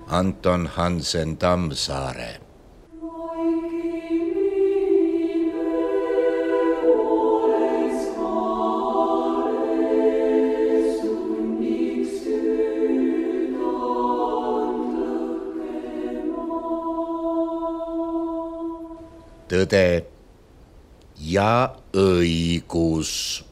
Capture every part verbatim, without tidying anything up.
Anton Hansen Tammsaare. Tõde ja õigus.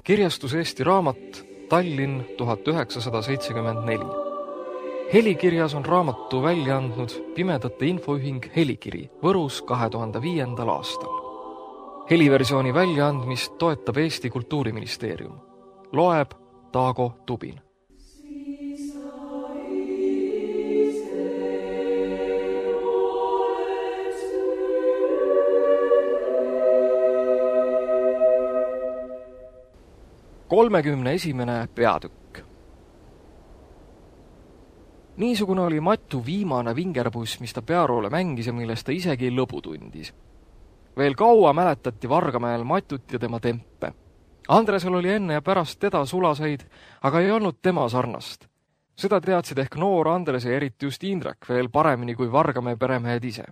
Kirjastus Eesti Raamat, Tallinn tuhat üheksasada seitsekümmend neli. Helikirjas on raamatu välja andnud Pimedate Infoühing Helikiri Võrus kahe tuhande viiendal aastal. Heliversiooni väljaandmist toetab Eesti Kultuuriministeerium. Loeb Taago Tubin. kolmekümne esimene peatükk. Niisugune oli Matu viimane vingerpuss, mis ta Pearoole mängis ja millest ta isegi lõbu tundis. Veel kaua mäletati Vargamäel Matut ja tema tempe. Andresel oli enne ja pärast teda sulaseid, aga ei olnud tema sarnast. Seda teadsid ehk noor Andres ja eriti just Indrek veel paremini kui Vargamäe peremehed ise.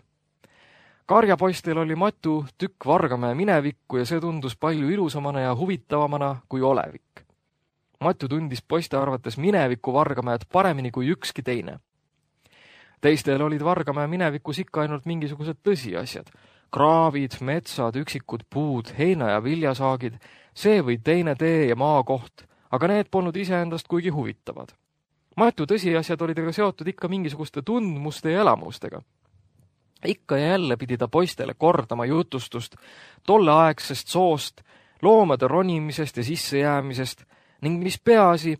Karjapoistel oli Matu tükk Vargamäe minevikku ja see tundus palju ilusamana ja huvitavamana kui olevik. Matu tundis poiste arvates mineviku Vargamäed paremini kui ükski teine. Teistel olid Vargamäe minevikus ikka ainult mingisugused tõsiasjad. Kraavid, metsad, üksikud puud, heina- ja viljasaagid, see või teine tee ja maakoht, aga need polnud iseendast kuigi huvitavad. Matu tõsiasjad olid aga seotud ikka mingisuguste tundmuste ja elamustega. Ikka ja jälle pidi ta poistele kordama jutustust tolleaegsest soost, loomade ronimisest ja sissejäämisest ning mis peaasi,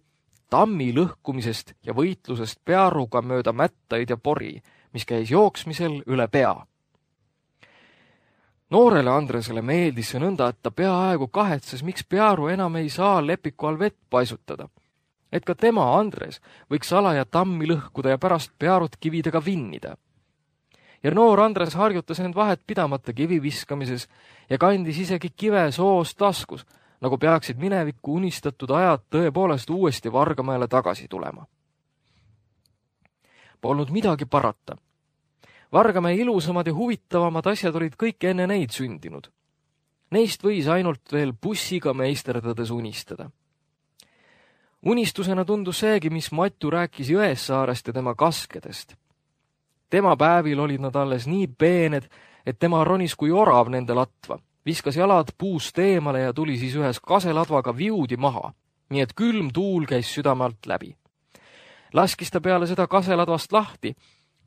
tammi lõhkumisest ja võitlusest pearuga mööda mättaid ja pori, mis käis jooksmisel üle pea. Noorele Andresele meeldis see nõnda, et ta peaaegu kahetses, miks pearu enam ei saa lepiku all vett paisutada. Et ka tema, Andres, võiks alaja tammi lõhkuda ja pärast pearut kividega vinnida. Ja noor Andres harjutas end vahet pidamata kivi viskamises ja kandis isegi kive soos taskus, nagu peaksid minevikku unistatud ajad tõepoolest uuesti Vargamäele tagasi tulema. Polnud midagi parata. Vargamäe ilusamad ja huvitavamad asjad olid kõik enne neid sündinud. Neist võis ainult veel bussiga meisterdades unistada. Unistusena tundus seegi, mis Matu rääkis Jõessaarest ja tema kaskedest. Tema päevil olid nad alles nii peened, et tema ronis kui orav nende latva, viskas jalad puust eemale ja tuli siis ühes kaseladvaga viudi maha, nii et külm tuul käis südame alt läbi. Laskis ta peale seda kaseladvast lahti,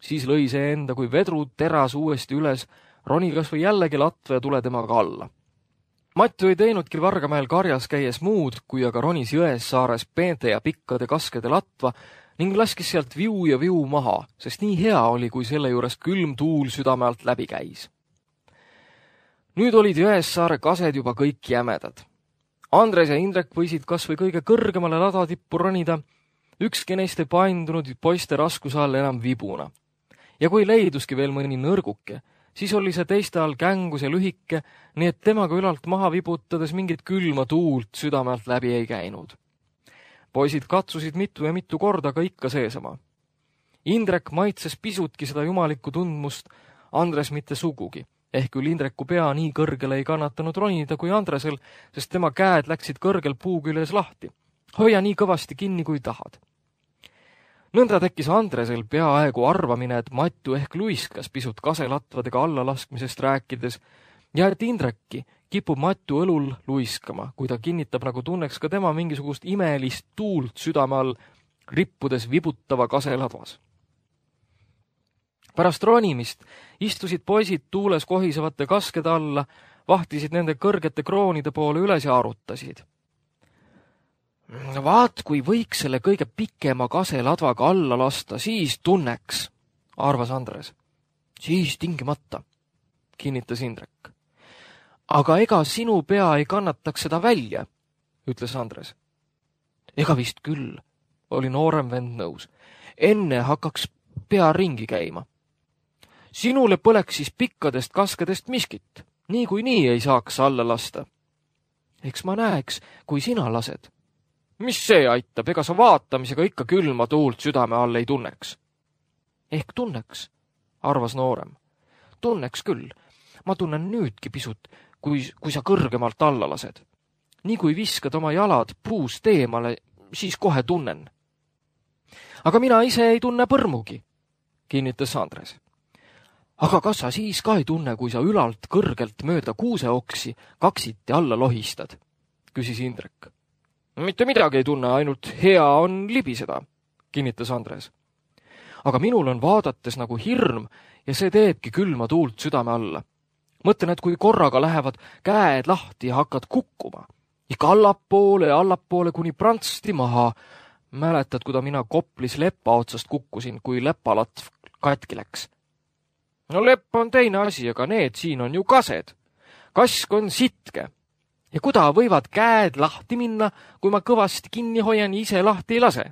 siis lõi see enda kui vedru teras uuesti üles, roni kas või jällegi latva ja tule temaga alla. Matu ei teinudki Vargamäel karjas käies muud, kui aga ronis Jõessaares peente ja pikkade kaskede latva, ning laskis sealt viu ja viu maha, sest nii hea oli, kui selle juures külm tuul südame alt läbi käis. Nüüd olid Jõessaare kased juba kõik jämedad. Andres ja Indrek võisid kas või kõige kõrgemale ladatippu ronida, ükski neist ei paindunud poiste raskuse all enam vibuna. Ja kui leiduski veel mõni nõrguke, siis oli see teiste all kängus ja lühike, nii et temaga ülalt maha vibutades mingit külma tuult südame alt läbi ei käinud. Poisid katsusid mitu ja mitu korda ka ikka seesama. Indrek maitses pisutki seda jumalikku tundmust, Andres mitte sugugi, ehk küll Indreku pea nii kõrgele ei kannatanud ronida kui Andresel, sest tema käed läksid kõrgel puu küljes lahti. Hoia nii kõvasti kinni, kui tahad. Nõnda tekkis Andresel peaaegu arvamine, et Matu ehk luiskas pisut kaselatvadega allalaskmisest rääkides ja et Indrekki kipub Matu õlul luiskama, kui ta kinnitab, nagu tunneks ka tema mingisugust imelist tuult südame all, rippudes vibutava kaseladvas. Pärast ronimist istusid poisid tuules kohisevate kaskede alla, vahtisid nende kõrgete kroonide poole üles ja arutasid. Vaat, kui võiks selle kõige pikema kaseladvaga alla lasta, siis tunneks, arvas Andres. Siis tingimata, kinnitas Indrek. Aga ega sinu pea ei kannataks seda välja, ütles Andres. Ega vist küll, oli noorem vend nõus. Enne hakkaks pea ringi käima. Sinule põleks siis pikkadest kaskedest miskit, nii kui nii ei saaks alla lasta. Eks ma näeks, kui sina lased. Mis see aitab, ega sa vaatamisega ikka külma tuult südame all ei tunneks? Ehk tunneks, arvas noorem. Tunneks küll. Ma tunnen nüüdki pisut, kui, kui sa kõrgemalt alla lased. Nii kui viskad oma jalad puust eemale, siis kohe tunnen. Aga mina ise ei tunne põrmugi, kinnitas Andres. Aga kas sa siis ka ei tunne, kui sa ülalt kõrgelt mööda kuuseoksi kaksiti alla lohistad, küsis Indrek. Mitte midagi ei tunne, ainult hea on libiseda, kinnitas Andres. Aga minul on vaadates nagu hirm ja see teebki külma tuult südame alla. Mõtlen, et kui korraga lähevad käed lahti ja hakkad kukkuma, ikka allapoole ja allapoole kuni prantsti maha. Mäletad, kuda mina Koplis lepa otsast kukkusin, kui lepalatv katki läks? No lepp on teine asi, aga need siin on ju kased. Kask on sitke. Ja kuda võivad käed lahti minna, kui ma kõvasti kinni hoian ja ise lahti ei lase?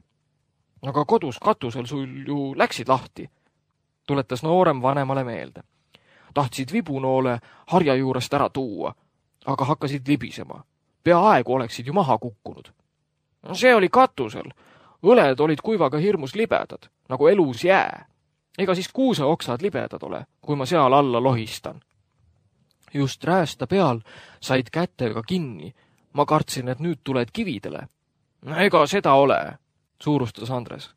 Aga kodus katusel sul ju läksid lahti, tuletas noorem vanemale meelde. Tahtsid vibunoole harja juurest ära tuua, aga hakkasid libisema. Peaaegu oleksid ju maha kukkunud. See oli katusel. Õled olid kuivaga hirmus libedad, nagu elus jää. Ega siis kuuseoksad libedad ole, kui ma seal alla lohistan. Just räästa peal said kätega kinni. Ma kartsin, et nüüd tuled kividele. Ega seda ole, suurustas Andres.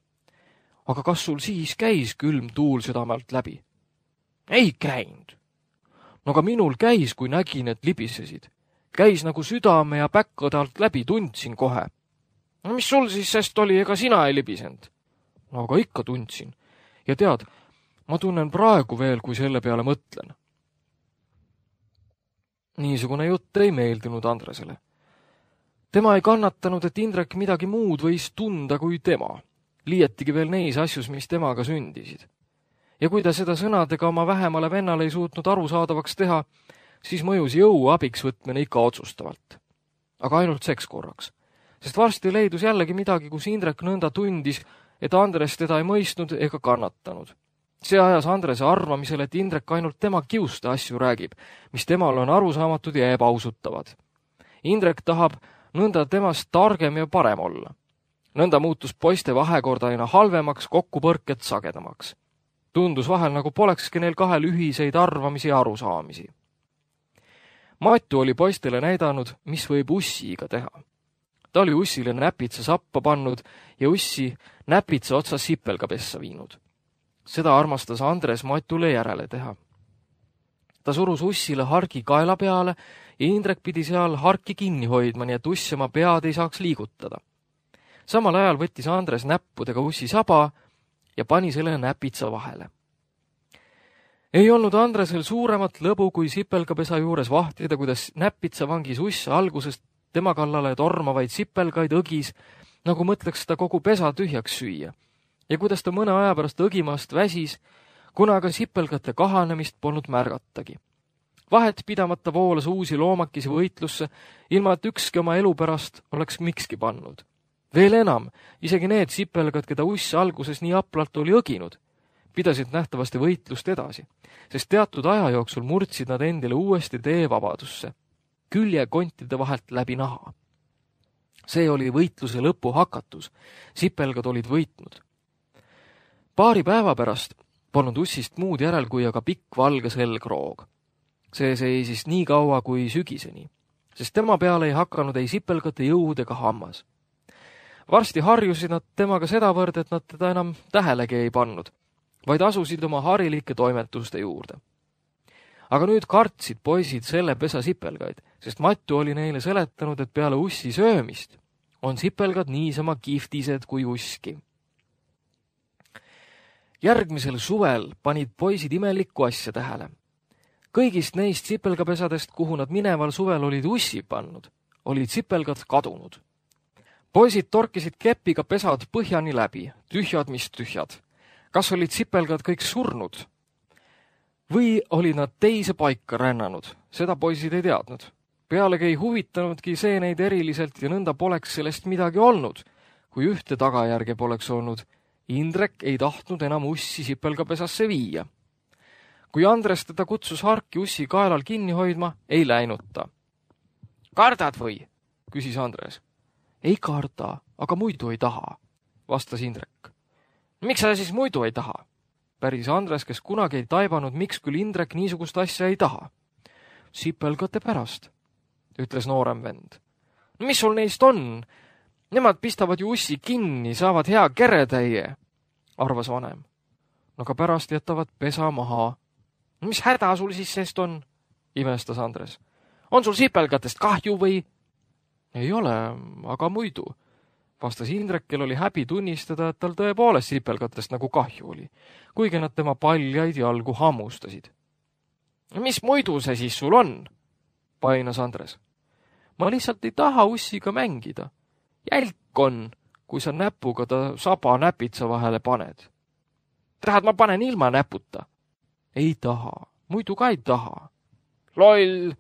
Aga kas sul siis käis külm tuul südamelt läbi? Ei käinud. No aga minul käis, kui nägin, et libisesid. Käis nagu südame ja päkkade alt läbi, tundsin kohe. No mis sul siis sest oli, ega sina ei libisend? No aga ikka tundsin. Ja tead, ma tunnen praegu veel, kui selle peale mõtlen. Niisugune jutt ei meeldinud Andresele. Tema ei kannatanud, et Indrek midagi muud võis tunda kui tema. Liietigi veel neis asjus, mis temaga sündisid. Ja kui ta seda sõnadega oma vähemale vennale ei suutnud arusaadavaks teha, siis mõjus jõu abiks võtmine ikka otsustavalt. Aga ainult seks korraks. Sest varsti leidus jällegi midagi, kus Indrek nõnda tundis, et Andres teda ei mõistnud ega kannatanud. See ajas Andrese arvamisel, et Indrek ainult tema kiuste asju räägib, mis temal on arusaamatud ja ebausutavad. Indrek tahab nõnda temast targem ja parem olla. Nõnda muutus poiste vahekord aina halvemaks, kokkupõrked sagedamaks. Tundus vahel, nagu polekski neil kahel ühiseid arvamisi ja arusaamisi. Matu oli poistele näidanud, mis võib ussiga teha. Ta oli ussile näpitsa sappa pannud ja ussi näpitsa otsa sipelga pessa viinud. Seda armastas Andres Matule järele teha. Ta surus ussile hargi kaela peale ja Indrek pidi seal harki kinni hoidma, nii et uss oma pead ei saaks liigutada. Samal ajal võttis Andres näppudega ussi saba ja pani selle näpitsa vahele. Ei olnud Andresel suuremat lõbu kui sipelgapesa juures vahtida, kuidas näpitsa vangis uss algusest tema kallale tormavaid sipelgaid õgis, nagu mõtleks ta kogu pesa tühjaks süüa, ja kuidas ta mõne aja pärast õgimast väsis, kuna aga sipelgate kahanemist polnud märgatagi. Vahet pidamata voolas uusi loomakisi võitlusse, ilma et ükski oma elu pärast oleks mikski pannud. Veel enam, isegi need sipelgad, keda uss alguses nii aplalt oli õginud, pidasid nähtavasti võitlust edasi, sest teatud aja jooksul murdsid nad endile uuesti tee vabadusse, küljekontide vahelt läbi naha. See oli võitluse lõpu hakatus, sipelgad olid võitnud. Paari päeva pärast polnud ussist muud järel kui aga pikk valge selgroog. See seisis nii kaua kui sügiseni, sest tema peale ei hakanud ei sipelgate jõud ega hammas. Varsti harjusid nad temaga sedavõrd, et nad teda enam tähelegi ei pannud, vaid asusid oma harilike toimetuste juurde. Aga nüüd kartsid poisid selle pesa sipelgaid, sest Matu oli neile seletanud, et peale ussi söömist on sipelgad niisama kihvtised kui uski. Järgmisel suvel panid poisid imelikku asja tähele. Kõigist neist sipelgapesadest, kuhu nad mineval suvel olid ussi pannud, olid sipelgad kadunud. Poisid torkisid kepiga pesad põhjani läbi, tühjad mis tühjad. Kas olid sipelgad kõik surnud? Või olid nad teise paika rännanud? Seda poisid ei teadnud. Pealegi ei huvitanudki see neid eriliselt ja nõnda poleks sellest midagi olnud, kui ühte tagajärge poleks olnud. Indrek ei tahtnud enam ussi sipelgapesasse viia. Kui Andres teda kutsus harki ussi kaelal kinni hoidma, ei läinud ta. Kardad või? Küsis Andres. Ei karda, aga muidu ei taha, vastas Indrek. Miks sa siis muidu ei taha? Päris Andres, kes kunagi ei taibanud, miks küll Indrek niisugust asja ei taha. Sipelgate pärast, ütles noorem vend. Mis sul neist on? Nemad pistavad ju ussi kinni, saavad hea keretäie, arvas vanem. No aga pärast jätavad pesa maha. Mis häda sul siis sest on? Imestas Andres. On sul sipelgatest kahju või? Ei ole, aga muidu, vastas Indrek, kel oli häbi tunnistada, et tal tõepoolest sipelgatest nagu kahju oli, kuigi nad tema paljaid jalgu hammustasid. Mis muidu see siis sul on? Painas Andres. Ma lihtsalt ei taha ussiga mängida. Jälk on, kui sa näpuga ta saba näpitsa vahele paned. Tahad, ma panen ilma näputa? Ei taha, muidu ka ei taha. Loll,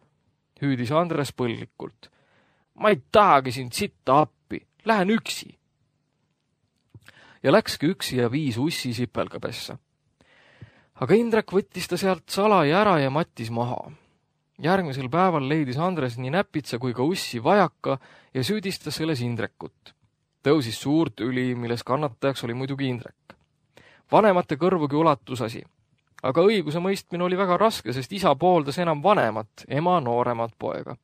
hüüdis Andres põllikult. Ma ei tahagi sind sitta appi, lähen üksi. Ja läkski üksi ja viis ussi sipelgapessa. Aga Indrek võttis ta sealt salai ära ja mattis maha. Järgmisel päeval leidis Andres nii näpitsa kui ka ussi vajaka ja süüdistas selles Indrekut. Tõusis suur tüli, milles kannatajaks oli muidugi Indrek. Vanemate kõrvugi ulatus asi. Aga õiguse mõistmine oli väga raske, sest isa pooldas enam vanemat, ema nooremat poega.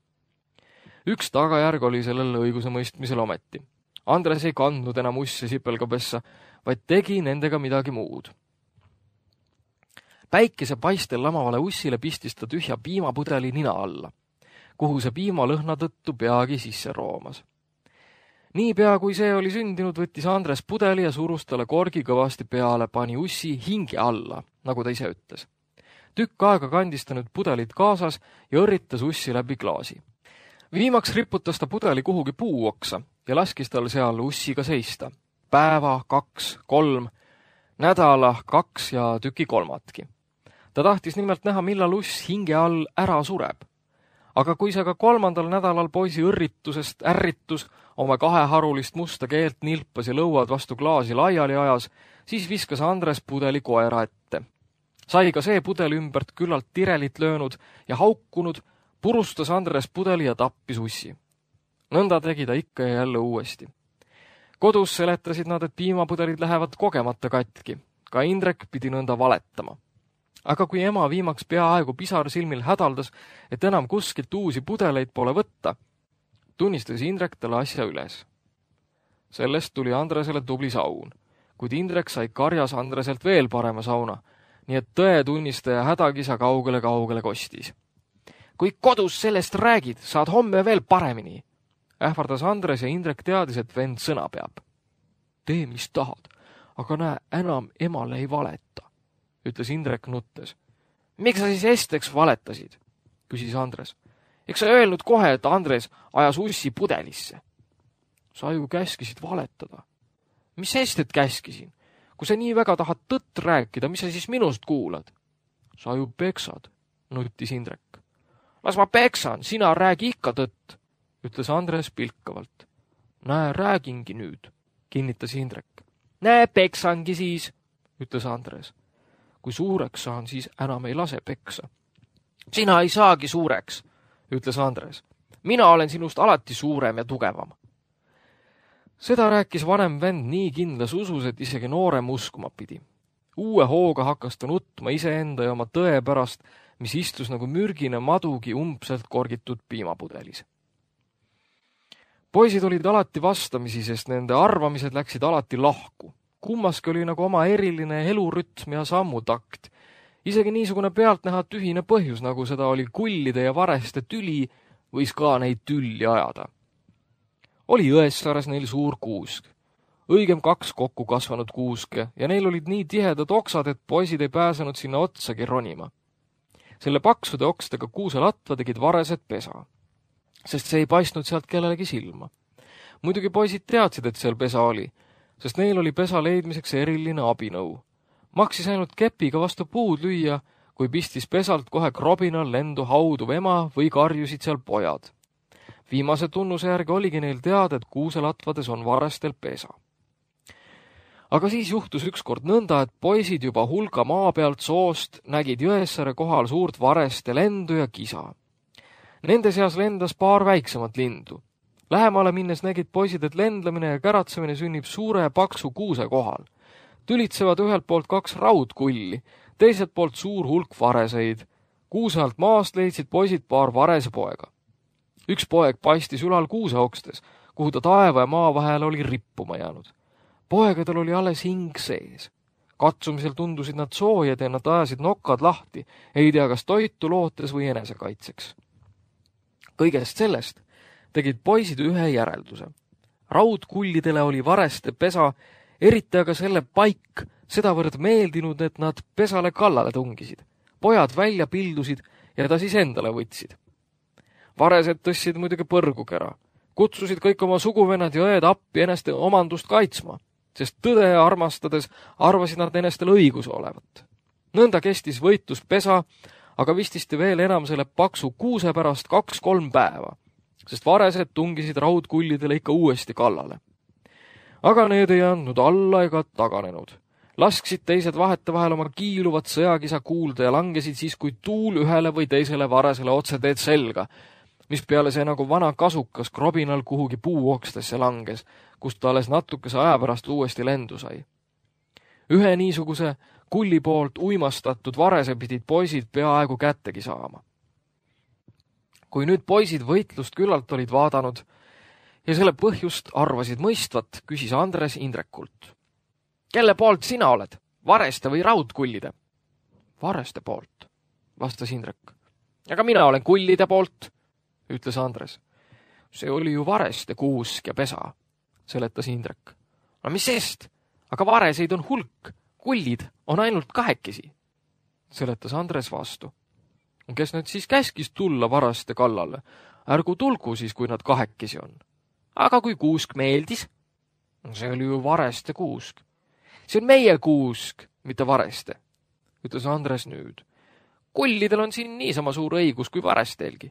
Üks tagajärg oli sellel õiguse mõistmisel ometi. Andres ei kandnud enam usse sipelgapessa, vaid tegi nendega midagi muud. Päikese paistel lamavale ussile pistis ta tühja piimapudeli nina alla, kuhu see piimalõhna tõttu peagi sisse roomas. Niipea kui see oli sündinud, võttis Andres pudeli ja surus talle korgi kõvasti peale, pani ussi hinge alla, nagu ta ise ütles. Tükk aega kandis ta nüüd pudelit kaasas ja õrritas ussi läbi klaasi. Viimaks riputas ta pudeli kuhugi puuoksa ja laskis tal seal ussiga seista. Päeva, kaks, kolm, nädala, kaks ja tüki kolmatki. Ta tahtis nimelt näha, millal uss hinge all ära sureb. Aga kui see ka kolmandal nädalal poisi õrritusest ärritus, oma kaheharulist musta keelt nilpas ja lõuad vastu klaasi laiali ajas, siis viskas Andres pudeli koera ette. Sai ka see pudel ümbert küllalt tirelit löönud ja haukunud, purustas Andres pudeli ja tappis ussi. Nõnda tegi ta ikka ja jälle uuesti. Kodus seletasid nad, et piimapudelid lähevad kogemata katki. Ka Indrek pidi nõnda valetama. Aga kui ema viimaks peaaegu pisar silmil hädaldas, et enam kuskilt uusi pudeleid pole võtta, tunnistas Indrek talle asja üles. Sellest tuli Andresele tubli saun, kuid Indrek sai karjas Andreselt veel parema sauna, nii et tõe tunnistaja hädakisa kaugele-kaugele kostis. Kui kodus sellest räägid, saad homme veel paremini, ähvardas Andres ja Indrek teadis, et vend sõna peab. Tee, mis tahad, aga näe, enam emale ei valeta, ütles Indrek nuttes. Miks sa siis esteks valetasid, küsis Andres. Eks sa öelnud kohe, et Andres ajas ussi pudelisse. Sa ju käskisid valetada. Mis estet käskisin? Kui sa nii väga tahad tõtt rääkida, mis sa siis minust kuulad? Sa ju peksad, nuttis Indrek. Las ma peksan, sina räägi ikka tõtt, ütles Andres pilkavalt. Näe, räägingi nüüd, kinnitas Indrek. Näe, peksangi siis, ütles Andres. Kui suureks saan, siis enam ei lase peksa. Sina ei saagi suureks, ütles Andres. Mina olen sinust alati suurem ja tugevam. Seda rääkis vanem vend nii kindlas usus, et isegi noorem uskuma pidi. Uue hooga hakkas ta nutma iseenda ja oma tõe pärast, mis istus nagu mürgine madugi umbselt korgitud piimapudelis. Poisid olid alati vastamisi, sest nende arvamised läksid alati lahku. Kummaski oli nagu oma eriline elurütm ja sammutakt. Isegi niisugune pealtnäha tühine põhjus, nagu seda oli kullide ja vareste tüli, võis ka neid tülli ajada. Oli Jõessaares neil suur kuusk. Õigem kaks kokku kasvanud kuuske ja neil olid nii tihedad oksad, et poisid ei pääsenud sinna otsagi ronima. Selle paksude okstega kuuselatva tegid varesed pesa, sest see ei paistnud sealt kellelegi silma. Muidugi poisid teadsid, et seal pesa oli, sest neil oli pesa leidmiseks eriline abinõu. Maksis ainult kepiga vastu puud lüüa, kui pistis pesalt kohe krobinal lendu hauduv ema või karjusid seal pojad. Viimase tunnuse järgi oligi neil teada, et kuuselatvades on varestel pesa. Aga siis juhtus ükskord nõnda, et poisid juba hulga maa pealt soost nägid Jõesaare kohal suurt vareste lendu ja kisa. Nende seas lendas paar väiksemat lindu. Lähemale minnes nägid poisid, et lendlamine ja käratsemine sünnib suure paksu kuuse kohal. Tülitsevad ühelt poolt kaks raudkulli, teiselt poolt suur hulk vareseid. Kuuse alt maast leidsid poisid paar varese poega. Üks poeg paistis ülal kuuse okstes, kuhu ta taeva ja maa vahel oli rippuma jäänud. Poegadel oli alles hing sees. Katsumisel tundusid nad soojad ja nad ajasid nokkad lahti, ei tea kas toitu lootes või enesekaitseks. Kõigest sellest tegid poisid ühe järelduse. Raudkullidele oli vareste pesa, eriti aga selle paik sedavõrd meeldinud, et nad pesale kallale tungisid. Pojad välja pildusid ja ta siis endale võtsid. Varesed tõstsid muidugi põrgukera. Kutsusid kõik oma suguvennad ja õed appi ennast omandust kaitsma, sest tõde armastades arvasid nad ennestel õigus olevat. Nõnda kestis võitlus pesa, aga vististi veel enam selle paksu kuuse pärast kaks-kolm päeva, sest varesed tungisid raudkullidele ikka uuesti kallale. Aga need ei andnud alla ega taganenud. Lasksid teised vahete vahel oma kiiluvat sõjakisa kuulda ja langesid siis, kui tuul ühele või teisele varesele otse teed selga, mis peale see nagu vana kasukas krobinal kuhugi puuokstesse langes, kust ta alles natukese aja pärast uuesti lendu sai. Ühe niisuguse kulli poolt uimastatud varese pidid poisid peaaegu kättegi saama. Kui nüüd poisid võitlust küllalt olid vaadanud ja selle põhjust arvasid mõistvat, küsis Andres Indrekult. Kelle poolt sina oled? Vareste või raudkullide? Vareste poolt, vastas Indrek. Aga mina olen kullide poolt, ütles Andres. See oli ju vareste kuusk ja pesa, seletas Indrek. No mis sest? Aga vareseid on hulk, kullid on ainult kahekesi, seletas Andres vastu. Kes nad siis käskis tulla varaste kallale? Ärgu tulgu siis, kui nad kahekesi on. Aga kui kuusk meeldis? See oli ju vareste kuusk. See on meie kuusk, mitte vareste, ütles Andres nüüd. Kullidel on siin niisama suur õigus kui varestelgi.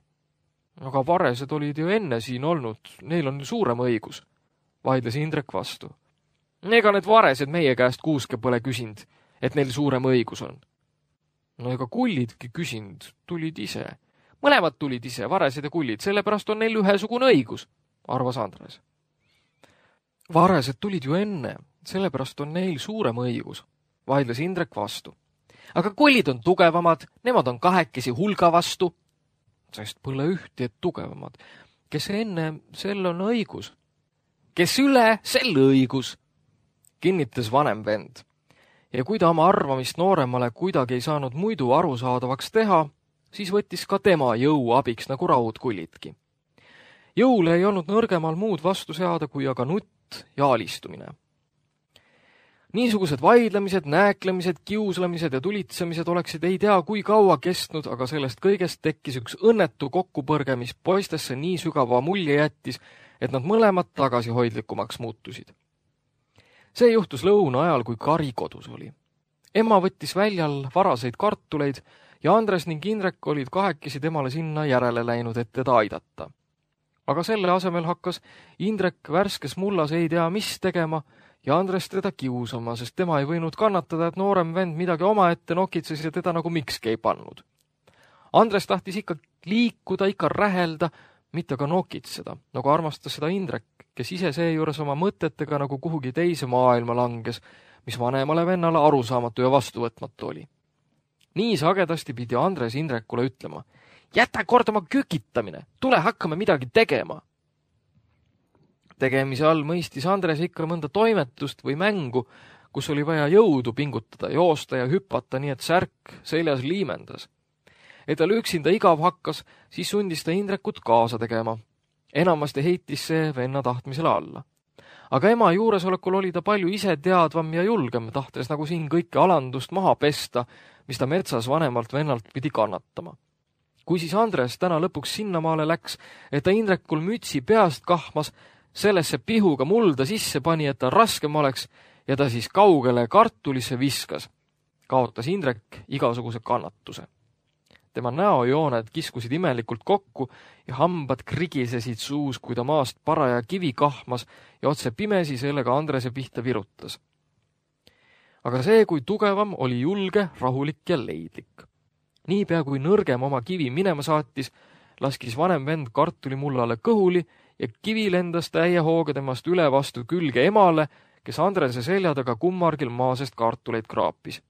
Aga varesed olid ju enne siin olnud, neil on suurem õigus, vaidles Indrek vastu. Ega need varesed meie käest kuuske pole küsinud, et neil suurem õigus on. No ega kullidki küsinud, tulid ise. Mõlemad tulid ise, varesed ja kullid, sellepärast on neil ühesugune õigus, arvas Andres. Varesed tulid ju enne, sellepärast on neil suurem õigus, vaidles Indrek vastu. Aga kullid on tugevamad, nemad on kahekesi hulga vastu, sest pole ühti, et tugevamad. Kes enne, sel on õigus. Kes üle, sel õigus, kinnitas vanem vend. Ja kui ta oma arvamist nooremale kuidagi ei saanud muidu arusaadavaks teha, siis võttis ka tema jõu abiks nagu raudkullidki. Jõule ei olnud nõrgemal muud vastu seada kui aga nutt ja alistumine. Niisugused vaidlemised, nääklemised, kiuslemised ja tulitsemised oleksid ei tea kui kaua kestnud, aga sellest kõigest tekkis üks õnnetu kokkupõrge, mis poistesse nii sügava mulje jättis, et nad mõlemad tagasihoidlikumaks muutusid. See juhtus lõuna ajal, kui Kari kodus oli. Emma võttis väljal varaseid kartuleid ja Andres ning Indrek olid kahekesi temale sinna järele läinud, et teda aidata. Aga selle asemel hakkas Indrek värskes mullas ei tea mis tegema ja Andres teda kiusama, sest tema ei võinud kannatada, et noorem vend midagi omaette nokitses ja teda nagu mikski ei pannud. Andres tahtis ikka liikuda, ikka rähelda, mitte ka nokitseda, nagu armastas seda Indrek, kes ise seejuures oma mõtetega nagu kuhugi teise maailma langes, mis vanemale vennale arusaamatu ja vastuvõtmatu oli. Nii sagedasti pidi Andres Indrekule ütlema, jäta kord oma kükitamine, tule hakkame midagi tegema. Tegemise all mõistis Andres ikka mõnda toimetust või mängu, kus oli vaja jõudu pingutada, joosta ja hüpata, nii et särk seljas liimendas. Et tal üksinda igav hakkas, siis sundis ta Indrekut kaasa tegema. Enamasti heitis see venna tahtmisele alla. Aga ema juuresolekul oli ta palju ise teadvam ja julgem, tahtes nagu siin kõike alandust maha pesta, mis ta metsas vanemalt vennalt pidi kannatama. Kui siis Andres täna lõpuks sinnamaale läks, et ta Indrekul mütsi peast kahmas, sellesse pihuga mulda sisse pani, et ta raskem oleks, ja ta siis kaugele kartulisse viskas, kaotas Indrek igasuguse kannatuse. tema näojooned kiskusid imelikult kokku ja hambad krigisesid suus, kui ta maast paraja kivi kahmas ja otse pimesi sellega Andrese pihta virutas. Aga see, kui tugevam, oli julge, rahulik ja leidlik. Niipea kui nõrgem oma kivi minema saatis, laskis vanem vend kartulimullale kõhuli ja kivi lendas täie hooga temast üle vastu külge emale, kes Andrese selja taga kummargil maasest kartuleid kraapis.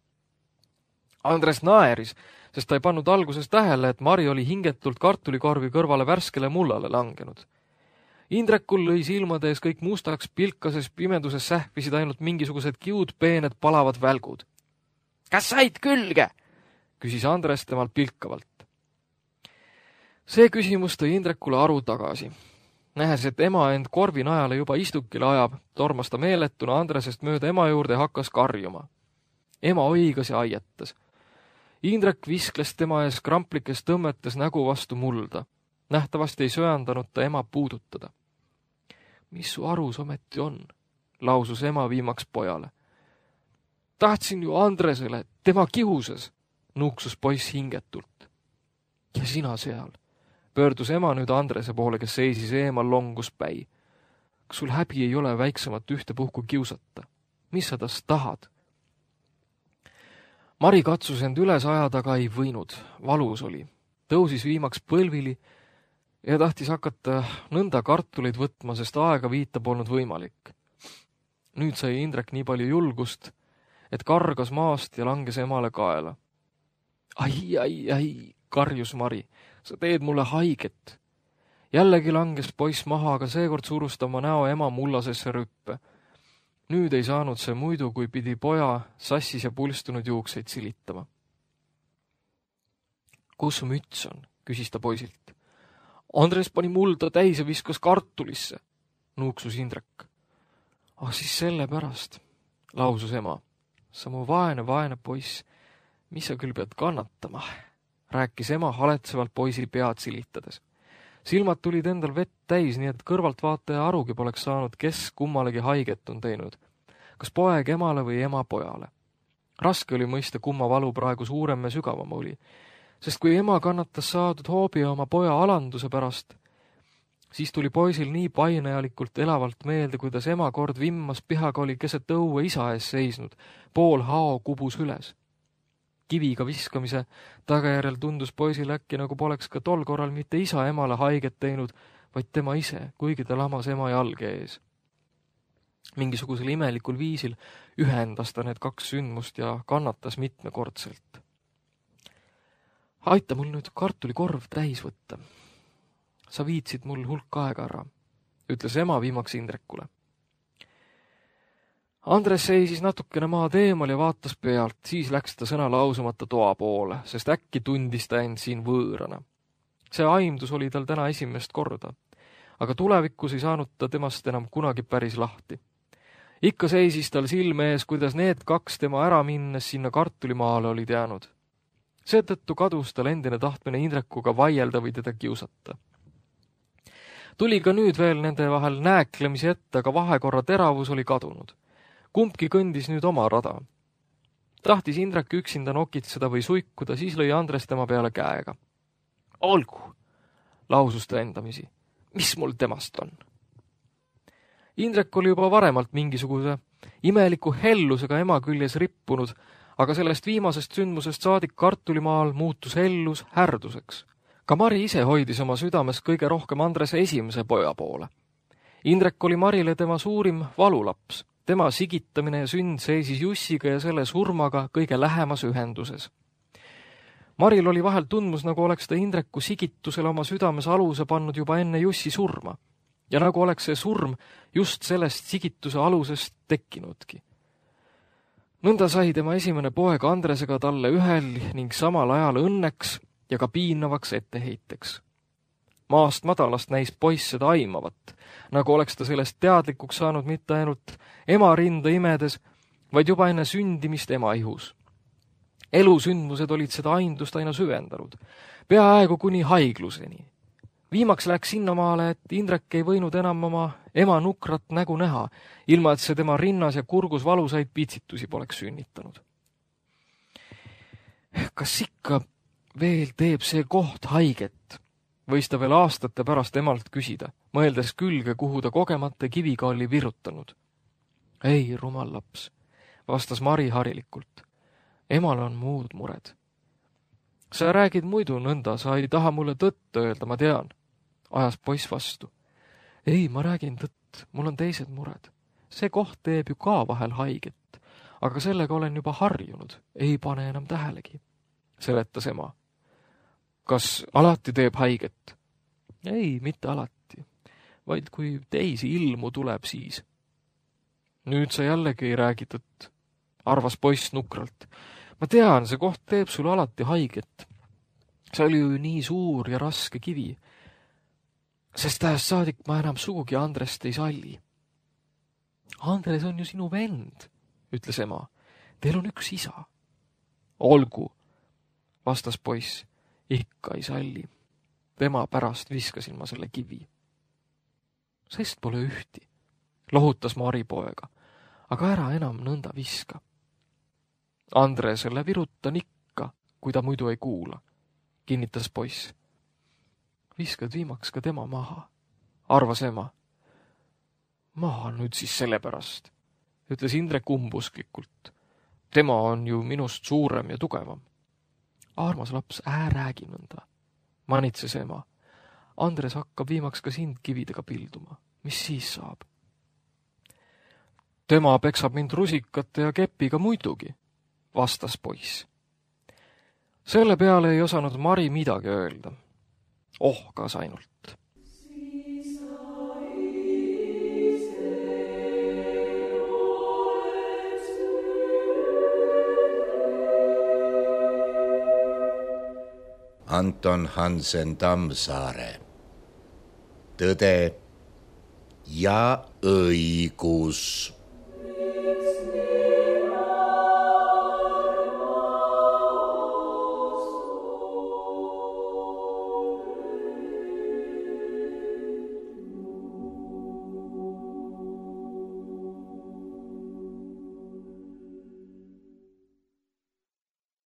Andres naeris, sest ta ei pannud alguses tähele, et Mari oli hingetult kartulikorvi kõrvale värskele mullale langenud. Indrekul lõi silmade ees kõik mustaks, pilkases pimeduses sähvisid ainult mingisugused kiud peened palavad välgud. Kas said külge? Küsis Andres temalt pilkavalt. See küsimus tõi Indrekule aru tagasi. Nähes, et ema end korvi najale juba istukile ajab, tormas ta meeletuna Andresest mööda ema juurde ja hakkas karjuma. Ema õigas ja aietas. Indrek viskles tema ees kramplikes tõmmetes nägu vastu mulda. Nähtavasti ei söandanud ta ema puudutada. Mis su arus ometi on, lausus ema viimaks pojale. Tahtsin ju Andresele, tema kihuses, nuksus poiss hingetult. Ja sina seal, pöördus ema nüüd Andrese poole, kes seisis eemal longus päi. Kas sul häbi ei ole väiksemat ühtepuhku kiusata? Mis sa tast tahad? Mari katsus end üles ajada, aga ei võinud, valus oli. Tõusis viimaks põlvili ja tahtis hakata nõnda kartuleid võtma, sest aega viita polnud võimalik. Nüüd sai Indrek nii palju julgust, et kargas maast ja langes emale kaela. Ai, ai, ai, karjus Mari, sa teed mulle haiget. Jällegi langes poiss maha, aga seekord surus ta oma näo ema mullasesse rüppe. Nüüd ei saanud see muidu, kui pidi poja sassis ja pulstunud juukseid silitama. Kus su müts on? Küsis ta poisilt. Andres pani mulda täis ja viskas kartulisse, nuuksus Indrek. Ah, siis selle pärast, lausus ema. Sa mu vaene, vaene poiss, mis sa küll pead kannatama, rääkis ema haletsevalt poisil pead silitades. Silmad tulid endal vett täis, nii et kõrvaltvaataja arugi poleks saanud, kes kummalegi haiget on teinud. Kas poeg emale või ema pojale. Raske oli mõista, kumma valu praegu suurem ja sügavam oli. Sest kui ema kannatas saadud hoobi oma poja alanduse pärast, siis tuli poisil nii painajalikult elavalt meelde, kuidas ema kord vimmas pihaga oli keset õue isa ees seisnud, pool hao kubus üles. Kiviga viskamise tagajärjel tundus poisil äkki, nagu poleks ka tol korral mitte isa emale haiget teinud, vaid tema ise, kuigi ta lamas ema jalge ees. Mingisugusel imelikul viisil ühendas ta need kaks sündmust ja kannatas mitmekordselt. Aita mul nüüd kartulikorv täis võtta. Sa viitsid mul hulk aega ära, ütles ema viimaks Indrekule. Andres seisis natukene maad eemal ja vaatas pealt, siis läks ta sõna lausumata toa poole, sest äkki tundis ta end siin võõrana. See aimdus oli tal täna esimest korda, aga tulevikus ei saanud ta temast enam kunagi päris lahti. Ikka seisis tal silme ees, kuidas need kaks tema ära minnes sinna kartulimaale olid jäänud. Seetõttu kadus tal endine tahtmine Indrekuga vaielda või teda kiusata. Tuli ka nüüd veel nende vahel nääklemisi ette, aga vahekorra teravus oli kadunud. Kumbki kõndis nüüd oma rada. Tahtis Indrek üksinda nokitseda või suikuda, siis lõi Andres tema peale käega. Olgu, lausus ta endamisi. Mis mul temast on? Indrek oli juba varemalt mingisuguse imeliku hellusega ema küljes rippunud, aga sellest viimasest sündmusest saadik kartulimaal muutus hellus härduseks. Ka Mari ise hoidis oma südames kõige rohkem Andrese esimese poja poole. Indrek oli Marile tema suurim valulaps. Tema sigitamine ja sünd seisis Jussiga ja selle surmaga kõige lähemas ühenduses. Maril oli vahel tundmus, nagu oleks ta Indreku sigitusele oma südames aluse pannud juba enne Jussi surma. Ja nagu oleks see surm just sellest sigituse alusest tekkinudki. Nõnda sai tema esimene poeg Andresega talle ühel ning samal ajal õnneks ja ka piinavaks etteheiteks. Maast madalast näis poiss seda aimavat, nagu oleks ta sellest teadlikuks saanud mitte ainult ema rinda imedes, vaid juba enne sündimist ema ihus. Elusündmused olid seda aindust aina süvendanud, peaaegu kuni haigluseni. Viimaks läks sinnamaale, et Indrek ei võinud enam oma ema nukrat nägu näha, ilma et see tema rinnas ja kurgus valusaid pitsitusi poleks sünnitanud. Kas ikka veel teeb see koht haiget, võis ta veel aastate pärast emalt küsida, mõeldes külge, kuhu ta kogemata kiviga oli virutanud. Ei, rumal laps, vastas Mari harilikult. Emal on muud mured. Sa räägid muidu nõnda, sa ei taha mulle tõtt öelda, ma tean, ajas poiss vastu. Ei, ma räägin tõtt, mul on teised mured. See koht teeb ju ka vahel haiget, aga sellega olen juba harjunud, ei pane enam tähelegi, seletas ema. Kas alati teeb haiget? Ei, mitte alati, vaid kui teisi ilmu tuleb siis. Nüüd sa jällegi ei räägi tõtt, arvas poiss nukralt. Ma tean, see koht teeb sulle alati haiget. See oli ju nii suur ja raske kivi. Sest tähest saadik ma enam sugugi Andrest ei salli. Andres on ju sinu vend, ütles ema. Teil on üks isa. Olgu, vastas poiss. Ikka ei salli. Tema pärast viskasin ma selle kivi. Sest pole ühti, lohutas Mari poega, aga ära enam nõnda viska. Andresele virutan ikka, kui ta muidu ei kuula, kinnitas poiss. Viskad viimaks ka tema maha, arvas ema. Maha nüüd siis sellepärast, ütles Indrek umbusklikult. Tema on ju minust suurem ja tugevam. Armas laps, ää räägi nõnda, manitses ema. Andres hakkab viimaks ka sind kividega pilduma. Mis siis saab? Tema peksab mind rusikate ja kepiga muidugi, vastas poiss. Selle peale ei osanud Mari midagi öelda. Ohkas ainult. Anton Hansen Tammsaare. Tõde ja õigus.